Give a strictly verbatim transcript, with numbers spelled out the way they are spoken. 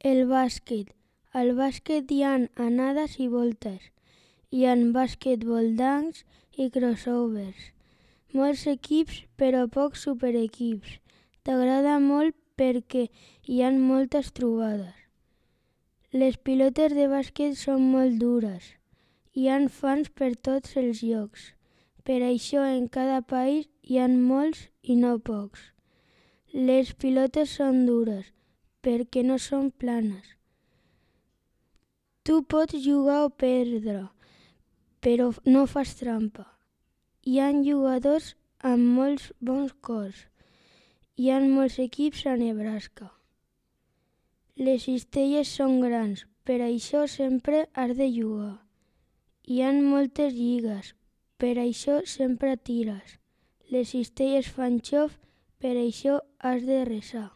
El bàsquet. Al bàsquet hi ha anades i voltes. Hi ha basquetbol dunks i crossovers. Molts equips, però pocs superequips. T'agrada molt perquè hi ha moltes trobades. Les pilotes de bàsquet són molt dures. Hi ha fans per tots els llocs. Per això en cada país hi ha molts i no pocs. Les pilotes són dures perquè no són planes. Tu pots jugar o perdre, però no fas trampa. Hi ha jugadors amb molts bons cors. Hi ha molts equips a Nebraska. Les cistelles són grans, per això sempre has de jugar. Hi ha moltes lligues, per això sempre tires. Les cistelles fan xof, per això has de resar.